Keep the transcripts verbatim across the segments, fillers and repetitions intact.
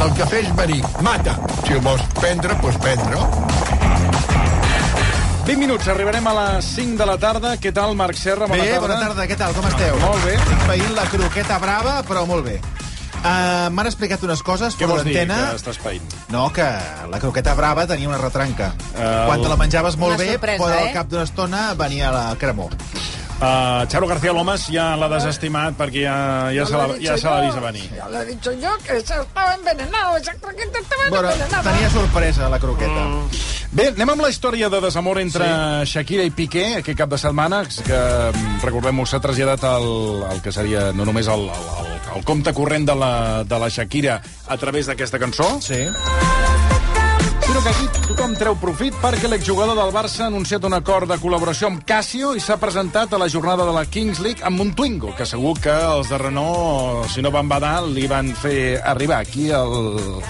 El cafè és verí, mata. Si el vols prendre, doncs prendre. vint minuts, arribarem a les cinc de la tarda. Què tal, Marc Serra? Bona bé, tarda. bona tarda, què tal, com esteu? Molt bé. Estic veient la croqueta brava, però molt bé. Uh, M'han explicat unes coses Què fora vols dir, d'antena. que estàs païnt? No, que la croqueta brava tenia una retranca. El- Quan te la menjaves molt Una bé, sorpresa, però eh? al cap d'una estona venia la cremor. Uh, Charo García Lomas ja l'ha desestimat perquè ja, ja, se, la, ja se l'ha vist a venir. Ya lo he dicho yo, que eso estaba envenenado, esa croqueta estaba Bueno, envenenada. tenia sorpresa, la croqueta. Mm. Bé, anem amb la història de desamor entre sí. Shakira i Piqué aquest cap de setmana, que, recordem-ho, s'ha traslladat al, al que seria no només el, el, el, el compte corrent de la, de la Shakira a través d'aquesta cançó, Sí. sinó que aquí tothom treu profit perquè l'exjugador del Barça ha anunciat un acord de col·laboració amb Casio i s'ha presentat a la jornada de la Kings League amb un Twingo, que segur que els de Renault, si no van badar, li van fer arribar aquí el...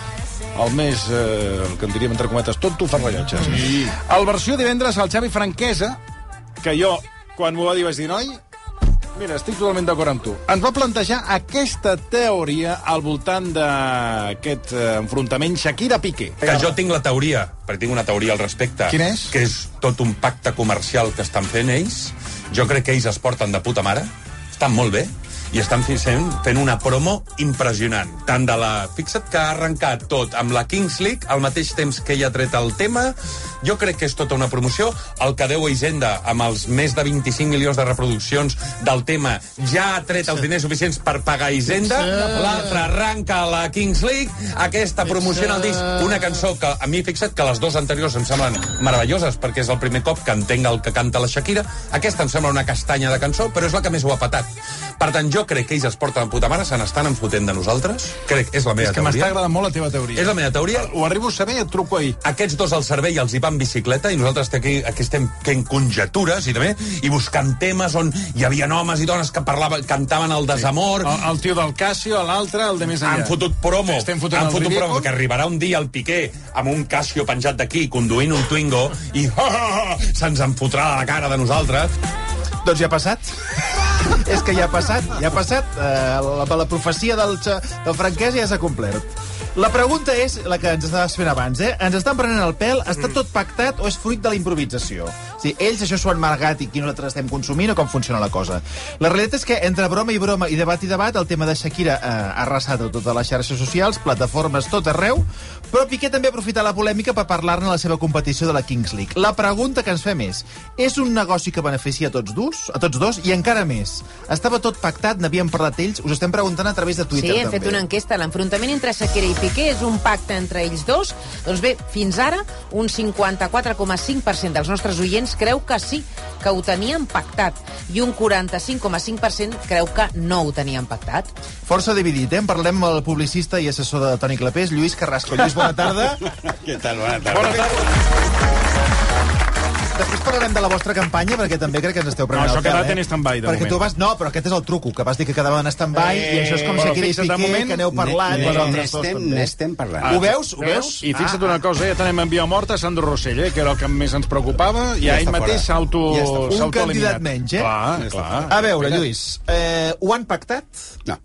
el més, eh, el que en diríem entre cometes, tonto fa rellotges. Sí. El versió divendres, el Xavi Franquesa, que jo, quan m'ho va dir, vaig dir, noi, mira, estic totalment d'acord amb tu, ens va plantejar aquesta teoria al voltant d'aquest eh, enfrontament Shakira-Piqué. Que jo tinc la teoria, perquè tinc una teoria al respecte. Quina és? Que és tot un pacte comercial que estan fent ells. Jo crec que ells es porten de puta mare, estan molt bé, i estan fent, fent una promo impressionant. Tant de la... Fixa't que ha arrencat tot amb la Kings League, al mateix temps que ella ha tret el tema. Jo crec que és tota una promoció. El que deu Hisenda, amb els més de vint-i-cinc milions de reproduccions del tema, ja ha tret els diners suficients per pagar Hisenda. L'altre arranca a la Kings League. Aquesta promoció en el disc, una cançó que a mi, fixa't, que les dues anteriors em semblen meravelloses, perquè és el primer cop que entenc el que canta la Shakira. Aquesta em sembla una castanya de cançó, però és la que més ho ha patat. Per tant, jo crec que ells es porten de puta mare, se n'estan enfotent de nosaltres. Crec, és la meva És que teoria. m'està agradant molt la teva teoria. És la meva teoria. Ho arribo a saber i et truco ahir. Aquests dos al servei els hi van en bicicleta i nosaltres aquí, aquí estem fent conjetures i també i buscant temes on hi havia homes i dones que parlaven, cantaven el desamor. El, el tio del Casio, l'altre, el de més enllà. Han fotut promo. Estem fotent Han el fotut ridícul. promo que arribarà un dia el Piqué amb un Casio penjat d'aquí, conduint un Twingo i oh, oh, oh, se'ns en fotrà a la cara de nosaltres. Doncs ja ha passat. És que ja ha passat, ja ha passat. Uh, la, la profecia del, del Franquès ja s'ha complert. La pregunta és la que ens estaves fent abans, eh? Ens estan prenent el pèl? Està tot pactat o és fruit de la improvisació? O sigui, ells això s'ho han margat i aquí nosaltres estem consumint o com funciona la cosa? La realitat és que entre broma i broma i debat i debat el tema de Shakira eh, ha arrasat a totes les xarxes socials, plataformes tot arreu, però Piqué també ha aprofitat la polèmica per parlar-ne a la seva competició de la Kings League. La pregunta que ens fem és, és un negoci que beneficia a tots dos? A tots dos? I encara més, estava tot pactat, n'havien parlat ells? Us estem preguntant a través de Twitter, Sí, hem també. fet una enquesta. L'enfrontament entre Shakira i Piqué és un pacte entre ells dos? Doncs bé, fins ara, un cinquanta-quatre coma cinc per cent dels nostres oients creu que sí, que ho tenien pactat, i un quaranta-cinc coma cinc per cent creu que no ho tenien pactat. Força dividit, eh? En parlem amb el publicista i assessor de Toni Clapés, Lluís Carrasco. Lluís, bona tarda. Què tal? Bona tarda. Bona tarda. Després parlarem de la vostra campanya, perquè també crec que ens esteu prenent No, això el pèl, ha quedat eh? en stand-by, de perquè moment. tu vas... No, però aquest és el truco, que vas dir que quedaven en stand-by, Eh, i això és com bueno, Shakira i fixa't, de Piqué, moment, que n'heu parlat, Ne- vosaltres dos N'estem també. n'estem parlant. Ho veus? Ho veus? I fixa't una cosa, ja tenim enviat mort a Sandro Rossell, eh, que era el que més ens preocupava, i Ja ell està mateix fora. s'auto... Ja està fora. Un s'autoeliminat. candidat menys, eh? Clar, clar. A veure, Lluís, eh, ho han pactat? No.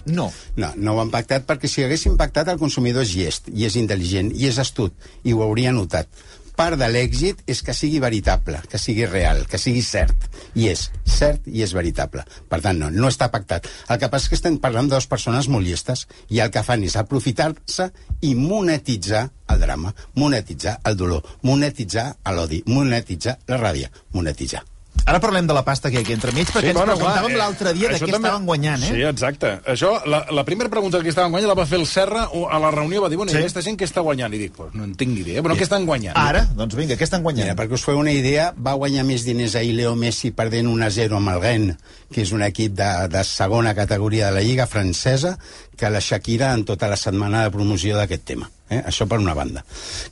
No. No, no ho han pactat perquè si haguessin pactat el consumidor és llest, i és intel·ligent, i és astut, i ho hauria notat. Part de l'èxit és que sigui veritable, que sigui real, que sigui cert. I és cert i és veritable. Per tant, no, no està pactat. El que passa és que estem parlant de dues persones molt llestes i el que fan és aprofitar-se i monetitzar el drama, monetitzar el dolor, monetitzar l'odi, monetitzar la ràbia, monetitzar. Ara parlem de la pasta que hi ha aquí entremig, perquè Sí, ens bueno, preguntàvem clar, eh, l'altre dia de això què també- estaven guanyant, eh? Sí, exacte. Això, la, la primera pregunta que estaven guanyant la va fer el Serra a la reunió, va dir, bueno, Sí. i aquesta gent què està guanyant? I dic, pues no en tinc ni idea, però què estan guanyant? Ara, doncs vinga, què estan Mira, guanyant? perquè us feu una idea, va guanyar més diners ahir Leo Messi perdent un a zero amb el Rennes, que és un equip de, de segona categoria de la Lliga francesa, que la Shakira en tota la setmana de promoció d'aquest tema. Eh? Això per una banda.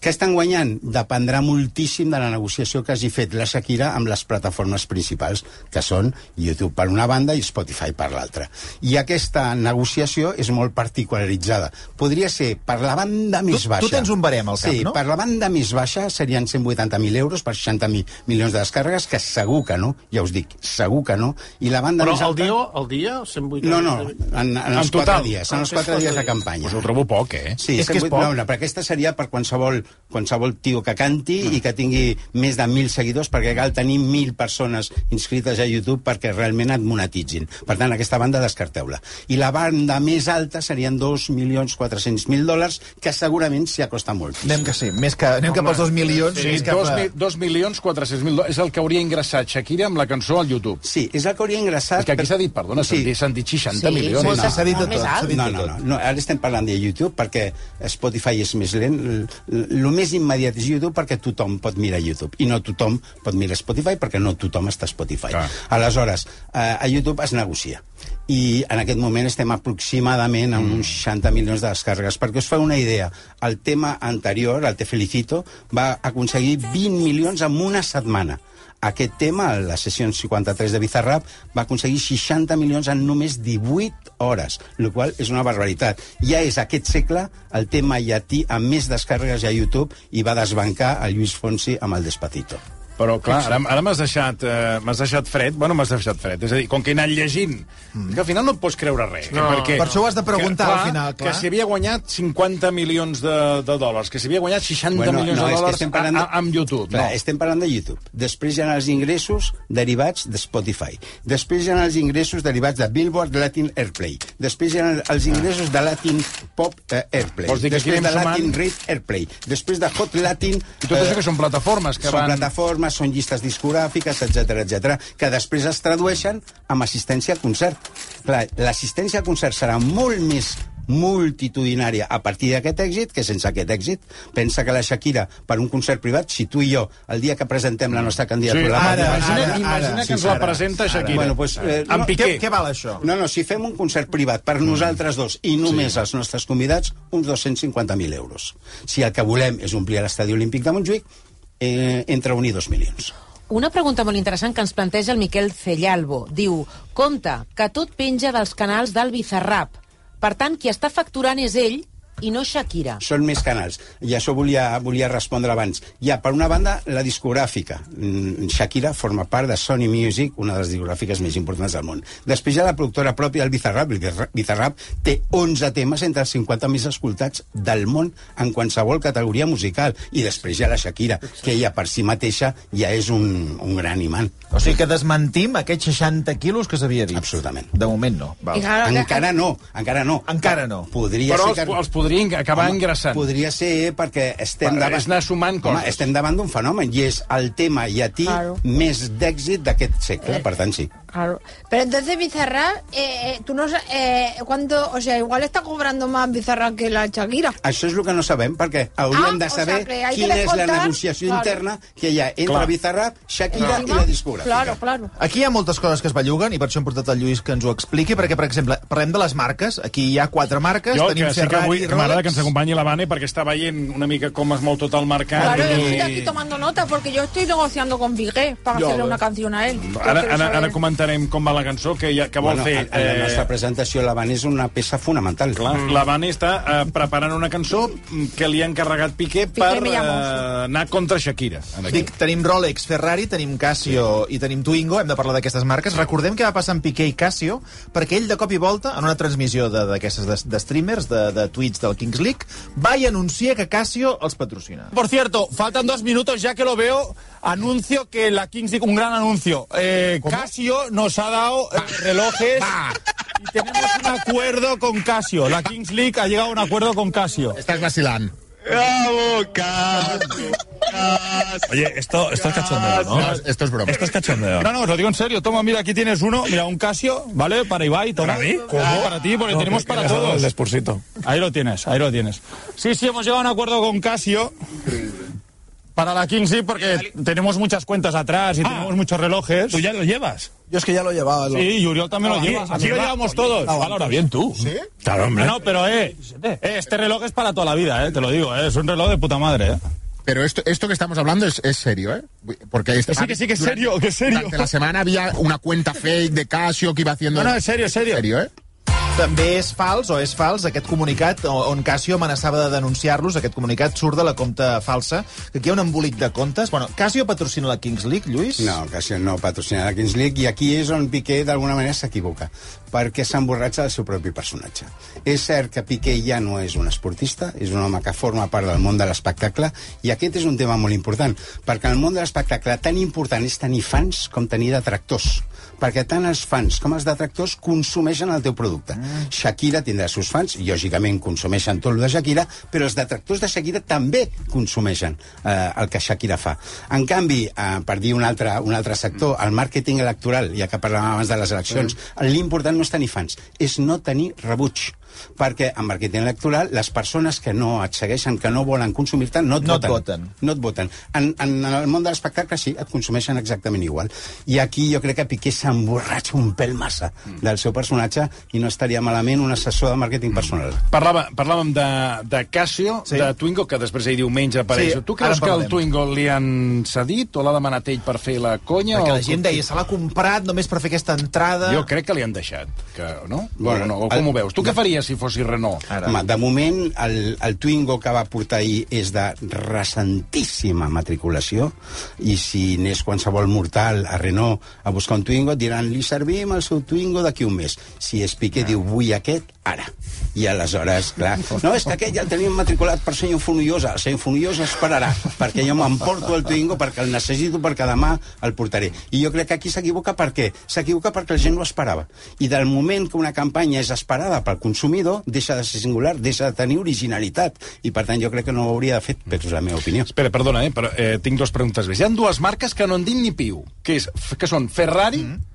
Què estan guanyant? Dependrà moltíssim de la negociació que hagi fet la Shakira amb les plataformes principals, que són YouTube per una banda i Spotify per l'altra. I aquesta negociació és molt particularitzada. Podria ser per la banda més tu, baixa. Tu tens un barem al cap, sí, no? Per la banda més baixa serien cent vuitanta mil euros per seixanta mil milions de descàrregues, que segur que no, ja us dic, segur que no. I la banda Però més al alta... dia, al dia, cent vuitanta... No, no, en, en, en els quatre dies, en els quatre dies de campanya. Pues ho trobo poc, eh? Sí, és que és poc. No, no, però aquesta seria per qualsevol, qualsevol tio que canti mm. i que tingui més de mil seguidors, perquè cal tenir mil persones inscrites a YouTube perquè realment et monetitzin. Per tant, aquesta banda descarteu-la. I la banda més alta serien dos milions quatre-cents mil dòlars, que segurament s'hi acosta molt. Anem que sí, més que, anem cap als dos milions. Sí, més cap dos, a... mi, dos milions quatre-cents mil dòlars. És el que hauria ingressat Shakira amb la cançó al YouTube. Sí, és el que hauria ingressat... És que aquí s'ha dit, perdona, sí. s'han dit seixanta Sí, milions. molt, no, s'ha dit de molt tot, més s'ha alt. dit No, de no, tot. no, no, ara estem parlant de YouTube perquè Spotify és més lent. El més immediat és YouTube perquè tothom pot mirar YouTube i no tothom pot mirar Spotify perquè no tothom està a Spotify. Clar. Aleshores, eh, a YouTube es negocia i en aquest moment estem aproximadament amb uns seixanta milions de descàrregues. Perquè us fa una idea, el tema anterior, el Te Felicito, va aconseguir vint milions en una setmana. Aquest tema, la sessió cinquanta-tres de Bizarrap, va aconseguir seixanta milions en només divuit hores, el qual és una barbaritat. Ja és aquest segle el tema llatí amb més descàrregues a YouTube i va desbancar a Lluís Fonsi amb el Despacito. Però, clar, ara, ara m'has deixat, eh, m'has deixat fred. Bueno, m'has deixat fred. És a dir, com que he anat llegint, mm. que al final no et pots creure res. No. Perquè, Per això ho has de preguntar, que, clar, al final, clar. Que si havia guanyat cinquanta milions de, de dòlars, que si havia guanyat seixanta Bueno, milions no, de és que dòlars estem parlant de- a, a, amb YouTube. Clar, no. estem parlant de YouTube. Després hi ha els ingressos derivats de Spotify. Després hi ha els ingressos derivats de Billboard Latin Airplay. Després hi ha els ingressos de Latin Pop eh, Airplay. Vols dir que aquí Després anem de Latin sumant? Rate Airplay. Després de Hot Latin... I tot això que són plataformes que són van... plataformes, són llistes discogràfiques, etcètera, etcètera, que després es tradueixen amb assistència a concert. Clar, l'assistència a concert serà molt més multitudinària a partir d'aquest èxit que sense aquest èxit. Pensa que la Shakira, per un concert privat, si tu i jo, el dia que presentem la nostra candidatura... Sí, la ara, participació- imagina, ara, imagina ara, que ens sí, la ara, presenta Shakira. Bueno, pues, eh, amb no, Piqué. Què, què val això? No, no, si fem un concert privat per nosaltres dos i només sí. els nostres convidats, uns dos-cents cinquanta mil euros. Si el que volem és omplir l'estadi olímpic de Montjuïc, eh, entre un i dos milions. Una pregunta molt interessant que ens planteja el Miquel Cellalbo. Diu, compte, que tot penja dels canals del Bizarrap. Per tant, qui està facturant és ell i no Shakira. Són més canals. I això volia, volia respondre abans. Hi ha, per una banda, la discogràfica. Mm, Shakira forma part de Sony Music, una de les discogràfiques més importants del món. Després hi ha la productora pròpia del Bizarrap. El Bizarrap té onze temes entre els cinquanta més escoltats del món en qualsevol categoria musical. I després hi ha la Shakira, que ella per si mateixa ja és un, un gran imant. O sigui que desmentim aquests seixanta quilos que s'havia dit. Absolutament. De moment no. Val. I claro, que- Encara no, encara no. Encara no. Podria Però ser els, que... els podrien acabar Home, ingressant. Podria ser perquè estem Va, davant... és anar sumant Home, coses. estem davant d'un fenomen i és el tema llatí Claro. més d'èxit d'aquest segle, per tant sí. Claro. Pero entonces Bizarrap, eh, eh, tú no sabes, eh, cuánto, o sea, igual está cobrando más Bizarrap que la Shakira. Això és el que no sabem, perquè hauríem Ah, de o saber sea, que hay que quina és la descontar, negociació claro. interna que hi ha entre Clar. Bizarrap, Shakira Encima, i la discogràfica. Claro, claro. Aquí hi ha moltes coses que es belluguen i per això hem portat el Lluís que ens ho expliqui, perquè, per exemple, parlem de les marques. Aquí hi ha quatre marques, Jo, tenim que sí que Ferrari, vull, que m'agrada que ens Rolex... acompanyi la Vane perquè està veient una mica com es mou tot el mercat. Claro, yo i- estoy aquí tomando nota porque yo estoy negociando con Piqué para Yo, hacerle eh. una canción a él. Yo Ara, quiero ara, saber- ara comentarem com va la cançó, que, ja, que vol Bueno, fer... en, en la nostra presentació la Van és una peça fonamental. Clar, la Vane està eh, preparant una cançó que li ha encarregat Piqué Piqué per me llamo. eh, anar contra Shakira. En aquí. Dic, tenim Rolex, Ferrari, tenim Casio i tenim Twingo, hem de parlar d'aquestes marques. Recordem què va passar amb Piqué i Casio, perquè ell de cop i volta, en una transmissió de- d'aquestes de, de streamers, de, de tweets del Kings League, va i anuncia que Casio els patrocina. Por cierto, faltan dos minutos ya que lo veo. Anuncio que la Kings League, un gran anuncio. Eh, Casio nos ha dado eh, relojes y tenemos un acuerdo con Casio. La Kings League ha llegado a un acuerdo con Casio. Estás vacilando. ¡Bravo, Casio! Oye, esto, esto es cachondeo, ¿no? No, esto es broma. Esto es cachondeo. No, no, os lo digo en serio. Toma, mira, aquí tienes uno. Mira, un Casio, ¿vale? Para Ibai, toma. ¿Para mí? Ah, para ti, porque No, tenemos que- para que me has dado todos. el despursito. Ahí lo tienes, ahí lo tienes. Sí, sí, hemos llegado a un acuerdo con Casio para la Kings League porque tenemos muchas cuentas atrás y tenemos muchos relojes. ¿Tú ya lo llevas? Yo es que ya lo llevaba. Lo... Sí, y Uriol también lo lleva. Aquí lo llevamos todos. Valora bien tú. ¿Sí? Claro, hombre. No, pero, eh, este reloj es para toda la vida, eh, te lo digo, eh, es un reloj de puta madre, eh. Pero esto, esto que estamos hablando es, es serio, ¿eh? Porque esta, sí, que sí, que es serio, que es serio. Durante la semana había una cuenta fake de Casio que iba haciendo... No, no, es serio, es serio. Es serio, ¿eh? També és fals, o és fals, aquest comunicat on Casio amenaçava de denunciar-los. Aquest comunicat surt de la compta falsa, que aquí hi ha un embolic de comptes. Bueno, Casio patrocina la Kings League, Lluís? No, Casio no patrocina la Kings League, i aquí és on Piqué d'alguna manera s'equivoca, perquè s'emborratxa del seu propi personatge. És cert que Piqué ja no és un esportista, és un home que forma part del món de l'espectacle, i aquest és un tema molt important, perquè en el món de l'espectacle tan important és tenir fans com tenir detractors, perquè tant els fans com els detractors consumeixen el teu producte. Mm. Shakira tindrà els seus fans, i lògicament consumeixen tot el de Shakira, però els detractors de Shakira també consumeixen eh, el que Shakira fa. En canvi, eh, per dir un altre, un altre sector, el màrqueting electoral, ja que parlàvem abans de les eleccions, mm. l'important no és tenir fans, és no tenir rebuig. Perquè en màrqueting electoral les persones que no et segueixen, que no volen consumir-te, no et no voten. Et voten. No et voten. En, en el món de l'espectacle sí, et consumeixen exactament igual. I aquí jo crec que Piqué s'emborratxa un pèl massa del seu personatge i no estaria malament un assessor de màrqueting personal. Parlava, parlàvem de, de Casio, sí. de Twingo, que després ahir diumenge apareix. Sí, tu creus que el Twingo li han cedit o l'ha demanat ell per fer la conya? Perquè o... la gent deia, se l'ha comprat només per fer aquesta entrada... Jo crec que li han deixat, que, no? Bueno, o, no? O com el... ho veus? Tu què faries si fossis Renault? Ara. Home, de moment, el, el Twingo que va portar ahir és de recentíssima matriculació, i si anés qualsevol mortal a Renault a buscar un Twingo, diran, li servim el seu Twingo d'aquí un mes. Si és Piqué, ah. diu, vull aquest, ara. I aleshores, clar, no, és que aquest ja el tenim matriculat per senyor Fonollosa. El senyor Fonollosa esperarà, perquè jo m'emporto el Twingo perquè el necessito, perquè demà el portaré. I jo crec que aquí s'equivoca per què? S'equivoca perquè la gent ho esperava. I del moment que una campanya és esperada pel consumidor, deixa de ser singular, deixa de tenir originalitat. I per tant jo crec que no ho hauria de fer, però és la meva opinió. Espera, perdona, eh, però eh, tinc dues preguntes més. Hi ha dues marques que no en dic ni piu, que, és, que són Ferrari... Mm.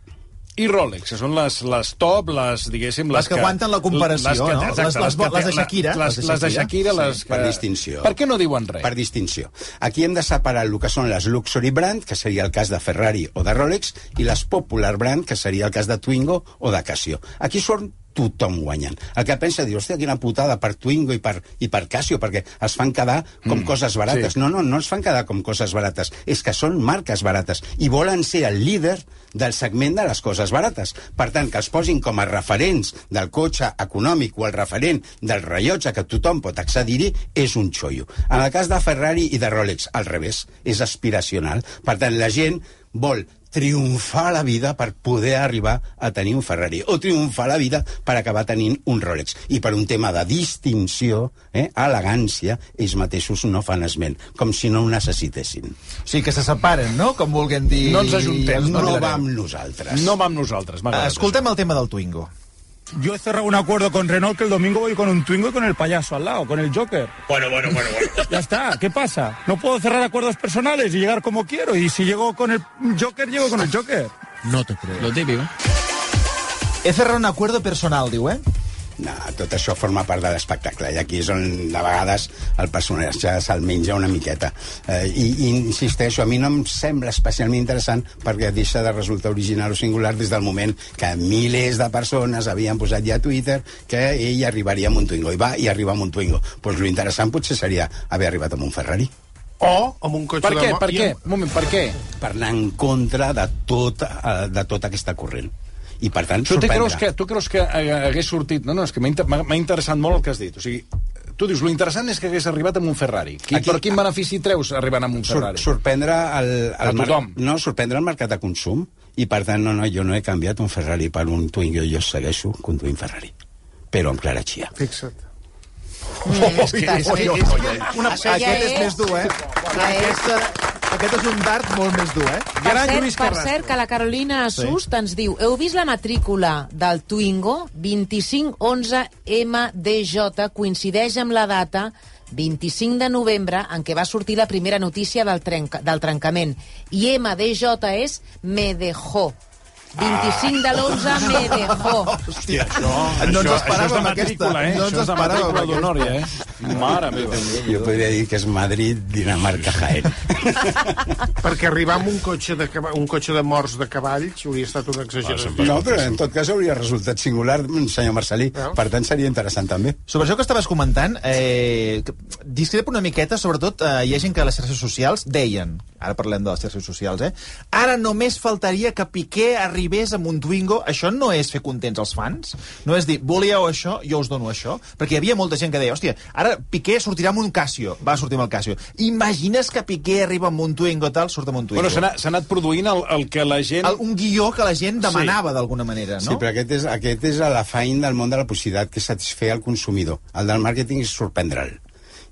i Rolex, que són les, les top, les, diguéssim... Les, les que, que aguanten la comparació, les que, no? Exacte, les, les, les, les de Shakira. Les, les de Shakira, les sí, que... Per distinció. Per què no diuen res? Per distinció. Aquí hem de separar el que són les luxury brand, que seria el cas de Ferrari o de Rolex, i les popular brand, que seria el cas de Twingo o de Casio. Aquí són tothom guanyant. El que pensa, diu, hòstia, quina putada per Twingo i per, i per Casio, perquè es fan quedar com mm, coses barates. Sí. No, no, no es fan quedar com coses barates, és que són marques barates i volen ser el líder del segment de les coses barates. Per tant, que els posin com a referents del cotxe econòmic o el referent del rellotge que tothom pot accedir-hi és un xollo. En el cas de Ferrari i de Rolex, al revés, és aspiracional. Per tant, la gent vol triomfar a la vida per poder arribar a tenir un Ferrari, o triomfar a la vida per acabar tenint un Rolex. I per un tema de distinció, eh, elegància, ells mateixos no fan esment, com si no ho necessitessin. O sigui, que se separen, no? Com vulguem dir... No ens ajuntem. No, no va amb nosaltres. No va amb nosaltres. Escoltem el tema del Twingo. Yo he cerrado un acuerdo con Renault que el domingo voy con un Twingo y con el payaso al lado, con el Joker. Bueno, bueno, bueno, bueno. Ya está, ¿qué pasa? No puedo cerrar acuerdos personales y llegar como quiero. Y si llego con el Joker, llego con el Joker. No te creo. Lo típico. He cerrado un acuerdo personal, diu, eh? No, tot això forma part de l'espectacle, i aquí és on de vegades el personatge se'l menja una miqueta. Eh, i, I insisteixo, a mi no em sembla especialment interessant perquè deixa de resultar original o singular des del moment que milers de persones havien posat ja a Twitter que ell arribaria amb un Twingo, i va i arriba amb un Twingo. Doncs pues lo interessant potser seria haver arribat amb un Ferrari. O amb un cotxe per què? de... Per què? Un moment, per què? Per anar en contra de tota, de tota aquesta corrent. I per tant, tu sorprendrà. Creus que, tu creus que hagués sortit... No, no, és que m'ha interessat molt el que has dit. O sigui, tu dius, lo interessant és que hagués arribat amb un Ferrari. Qui, Aquí, per quin benefici treus arribant amb un Ferrari? Sur, sorprendre el, el a tothom. No, sorprendre el mercat de consum. I per tant, no, no, jo no he canviat un Ferrari per un Twingo, jo segueixo conduint Ferrari. Però amb clara xia. Fixa't. Mm, oh, és que, és, és, és, és, una, aquest ja és, és més dur, eh? Aquest, aquest és un dart molt més dur, eh? Per cert, per cert, que la Carolina Assust sí. ens diu: heu vist la matrícula del Twingo? vint-i-cinc onze M D J coincideix amb la data vint-i-cinc de novembre en què va sortir la primera notícia del, trenca, del trencament. I M D J és me dejó. vint-i-cinc de l'onze me dejó. Hòstia, Això, no ens això, esperàvem això és de aquesta. matrícula, eh? No ens Això és de esperàvem matrícula aquesta. d'honor, ja, eh? Mare meva. Jo podria dir que és Madrid, Dinamarca, Jaén. Perquè arribar amb un cotxe de, cava- un cotxe de morts de cavalls hauria estat una exageració. No, però en tot cas hauria resultat singular, senyor Marcelí. Per tant, seria interessant també. Sobre això que estaves comentant, eh, que- discrepo una miqueta, sobretot eh, hi ha gent que a les xarxes socials deien, ara parlem de les xarxes socials, eh, ara només faltaria que Piqué arribés amb un Twingo. Això no és fer contents els fans? No és dir, volíeu això, jo us dono això? Perquè hi havia molta gent que deia, hòstia, ara Piqué sortirà amb un Casio, va sortir amb el Casio. Imagines que Piqué arriba amb un Twingo tal, surt amb un Twingo. Bueno, s'ha anat, s'ha anat produint el, el que la gent... el, un guió que la gent demanava, sí, d'alguna manera, no? Sí, però aquest és, aquest és l'afany del món de la publicitat, que és satisfer el consumidor. El del màrqueting és sorprendre'l.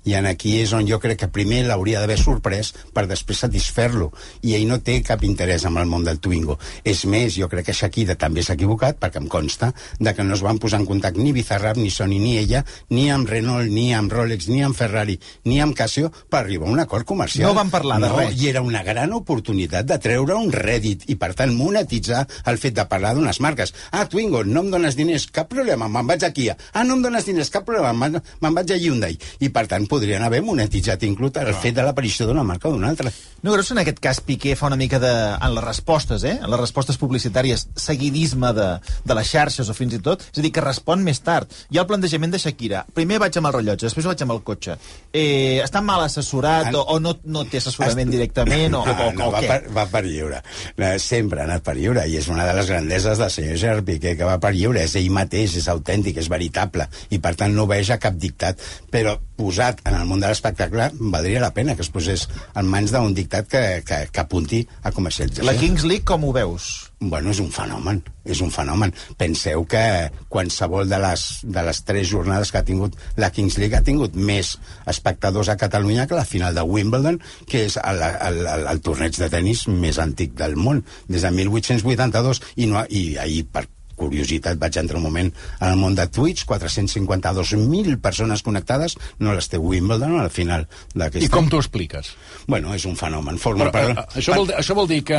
I en aquí és on jo crec que primer l'hauria d'haver sorprès per després satisfer-lo. I ell no té cap interès en el món del Twingo. És més, jo crec que Shakira també s'ha equivocat, perquè em consta de que no es van posar en contacte ni Bizarrap, ni Sony, ni ella, ni amb Renault, ni amb Rolex, ni amb Ferrari, ni amb Casio, per arribar a un acord comercial. No van parlar de no, res. I era una gran oportunitat de treure un rèdit i, per tant, monetitzar el fet de parlar d'unes marques. Ah, Twingo, no em dones diners, cap problema, me'n vaig a Kia. Ah, no em dones diners, cap problema, me'n me'n vaig a Hyundai. I, per tant, podrien haver monetitzat inclús el fet de l'aparició d'una marca o d'una altra. No creus que en aquest cas Piqué fa una mica de... en les respostes, eh? En les respostes publicitàries, seguidisme de, de les xarxes o fins i tot? És a dir, que respon més tard. Hi ha el plantejament de Shakira. Primer vaig amb el rellotge, després vaig amb el cotxe. Eh, està mal assessorat o, o no, no té assessorament directament o, o, o, no, o va què? per, va per lliure. Eh, Sempre ha anat per lliure i és una de les grandeses del senyor Gerard Piqué, que va per lliure. És ell mateix, és autèntic, és veritable i per tant no veja cap dictat. Però posat en el món de l'espectacle valdria la pena que es posés en mans d'un dictat que, que, que apunti a comercialització. La Kings League com ho veus? Bueno, és un fenomen, és un fenomen. Penseu que qualsevol de les, de les tres jornades que ha tingut la Kings League ha tingut més espectadors a Catalunya que la final de Wimbledon, que és el, el, el, el torneig de tennis més antic del món, des de mil vuit-cents vuitanta-dos, i, no, i ahir, per curiositat, vaig entrar un moment en el món de Twitch, quatre-cents cinquanta-dos mil persones connectades, no les té Wimbledon al final d'aquesta... I com t'ho expliques? Bueno, és un fenomen. Forma Però, per... eh, això, vol, dir- això vol dir que...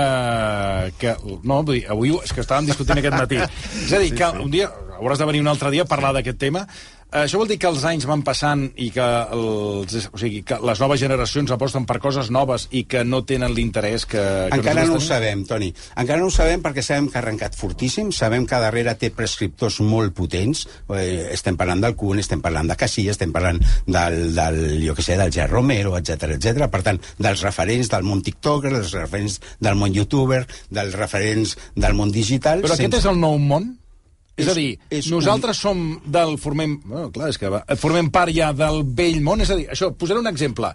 que no, vull dir, avui és que estàvem discutint aquest matí. És a dir, que un dia hauràs de venir un altre dia a parlar d'aquest tema. Eh, Això vol dir que els anys van passant i que, els, o sigui, que les noves generacions aposten per coses noves i que no tenen l'interès que, que Encara no ho tenim? sabem, Toni. Encara no ho sabem perquè sabem que ha arrencat fortíssim, sabem que darrere té prescriptors molt potents, eh, estem parlant del Kun, estem parlant de Casillas, estem parlant del, del jo què sé, del Gerard Romero, etcètera, etcètera. Per tant, dels referents del món TikToker, dels referents del món YouTuber, dels referents del món digital... Però aquest és el nou món? És, És- a dir, és nosaltres un... som del... Formem, bueno, clar, és que va, formem part ja del vell món. És a dir, això, posaré un exemple.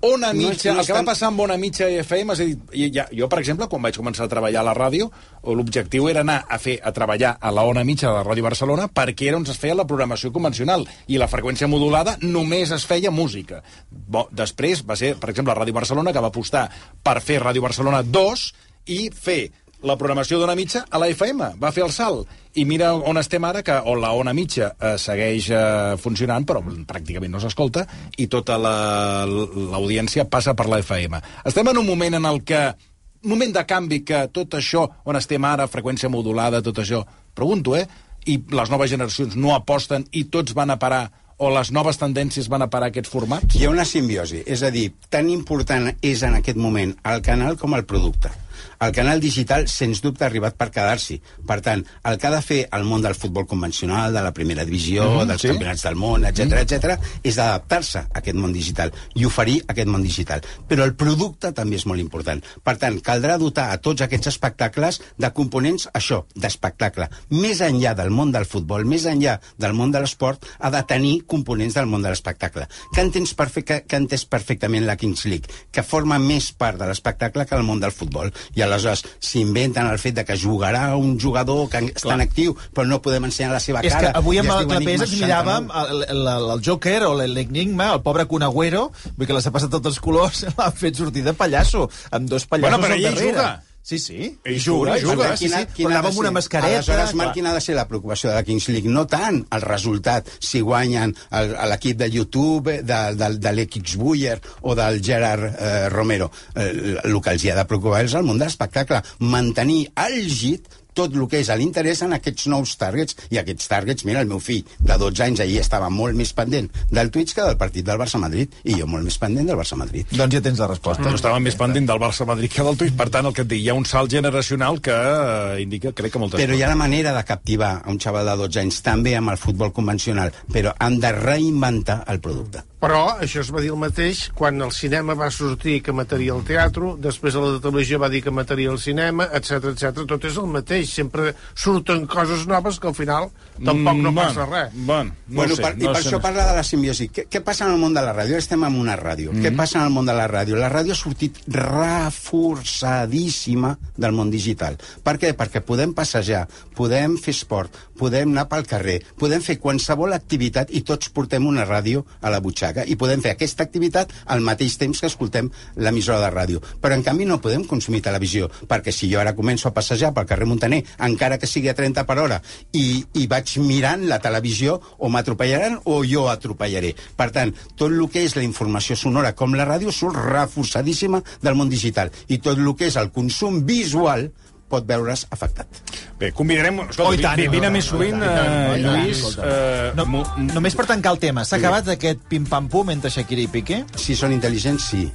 Ona No és- Mitja, no el que va estan- passar amb Ona Mitja i F M, és a dir, i ja, jo, per exemple, quan vaig començar a treballar a la ràdio, l'objectiu era anar a fer a treballar a la Ona Mitja de la Ràdio Barcelona perquè era on es feia la programació convencional i la freqüència modulada només es feia música. Bo, després va ser, per exemple, la Ràdio Barcelona, que va apostar per fer Ràdio Barcelona dos i fer la programació d'Ona Mitja a la F M. Va fer el salt. I mira on estem ara, que on la Ona Mitja eh, segueix eh, funcionant, però pràcticament no s'escolta, i tota la- l'audiència passa per la F M. Estem en un moment en el que un moment de canvi que tot això, on estem ara, freqüència modulada, tot això, pregunto, eh? I les noves generacions no aposten i tots van a parar, o les noves tendències van a parar aquests formats? Hi ha una simbiosi, és a dir, tan important és en aquest moment el canal com el producte. El canal digital, sens dubte, ha arribat per quedar-s'hi. Per tant, el que ha de fer el món del futbol convencional, de la primera divisió, mm, dels sí. campionats del món, etcètera, mm. etcètera, és adaptar-se a aquest món digital i oferir aquest món digital. Però el producte també és molt important. Per tant, caldrà dotar a tots aquests espectacles de components, això, d'espectacle. Més enllà del món del futbol, més enllà del món de l'esport, ha de tenir components del món de l'espectacle. Que entens perfecte, que entès perfectament la Kings League, que forma més part de l'espectacle que el món del futbol. I aleshores s'inventen el fet de que jugarà un jugador que està en actiu, però no podem ensenyar la seva És cara. que avui i amb es el diu Clapés Enigma ens miràvem el, el, el, el Joker o l'Enigma, el pobre Kun Agüero, vull que les ha passat tots els colors, l'ha fet sortir de pallasso, amb dos pallassos Bueno, però al ell darrere. juga. Sí, sí. Ell juga, ell juga. Sí, sí. Quina- quina Però ha anava de amb una ser? mascareta. Aleshores, clar. Marc, quina ha de ser la preocupació de la Kings League? No tant el resultat, si guanyen el- a l'equip de YouTube, de, de, de l'X Buller o del Gerard eh, Romero. Eh, el que els hi ha de preocupar és el món de l'espectacle. Mantenir àlgid tot el que és l'interès en aquests nous targets, i aquests targets, mira, el meu fill de dotze anys ahir estava molt més pendent del Twitch que del partit del Barça-Madrid, i jo molt més pendent del Barça-Madrid. Doncs ja tens la resposta. No estava més pendent del Barça-Madrid que del Twitch, per tant, el que et dic, hi ha un salt generacional que eh, indica, crec que moltes Però coses. hi ha la manera de captivar a un xaval de dotze anys, també amb el futbol convencional, però han de reinventar el producte. Però això es va dir el mateix quan el cinema va sortir que mataria el teatre, després a la televisió va dir que mataria el cinema, etc etcètera. Tot és el mateix. Sempre surten coses noves que al final tampoc no Mm, passa bueno, res. Bueno, no Bueno, sé, per, I no per sé, això no parla de la simbiosi. Què, què passa en el món de la ràdio? Estem en una ràdio. Mm. Què passa en el món de la ràdio? La ràdio ha sortit reforçadíssima del món digital. Per què? Perquè podem passejar, podem fer esport, podem anar pel carrer, podem fer qualsevol activitat i tots portem una ràdio a la butxaca i podem fer aquesta activitat al mateix temps que escoltem l'emissora de ràdio. Però, en canvi, no podem consumir televisió, perquè si jo ara començo a passejar pel carrer Montaner, encara que sigui a trenta per hora, i, i vaig mirant la televisió, o m'atropellaran o jo atropellaré. Per tant, tot el que és la informació sonora com la ràdio surt reforçadíssima del món digital, i tot el que és el consum visual pot veure's afectat. Bé, convidarem... Escolta, Oh, i tant, vi- vine i tant, més sovint, i tant, i tant, eh, i tant, Lluís. escolta. eh, No, mo- només per tancar el tema, s'ha acabat aquest pim-pam-pum entre Shakira i Piqué? Si són intel·ligents, sí.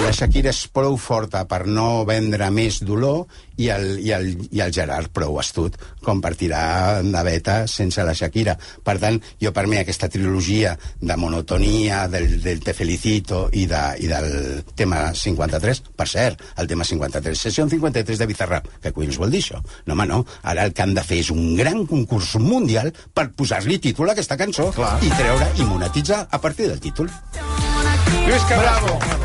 La Shakira és prou forta per no vendre més dolor, i el, i el, i el Gerard prou astut com per tirar de veta sense la Shakira. Per tant, jo per mi aquesta trilogia de monotonia, del, del Te Felicito i, de, i del tema cinquanta-tres, per cert, el tema cinquanta-tres, sessió cinquanta-tres de Bizarrap, que collons vol dir això? No, home, no. Ara el que han de fer és un gran concurs mundial per posar-li títol a aquesta cançó. Clar. I treure i monetitzar a partir del títol. Lluís Carrasco.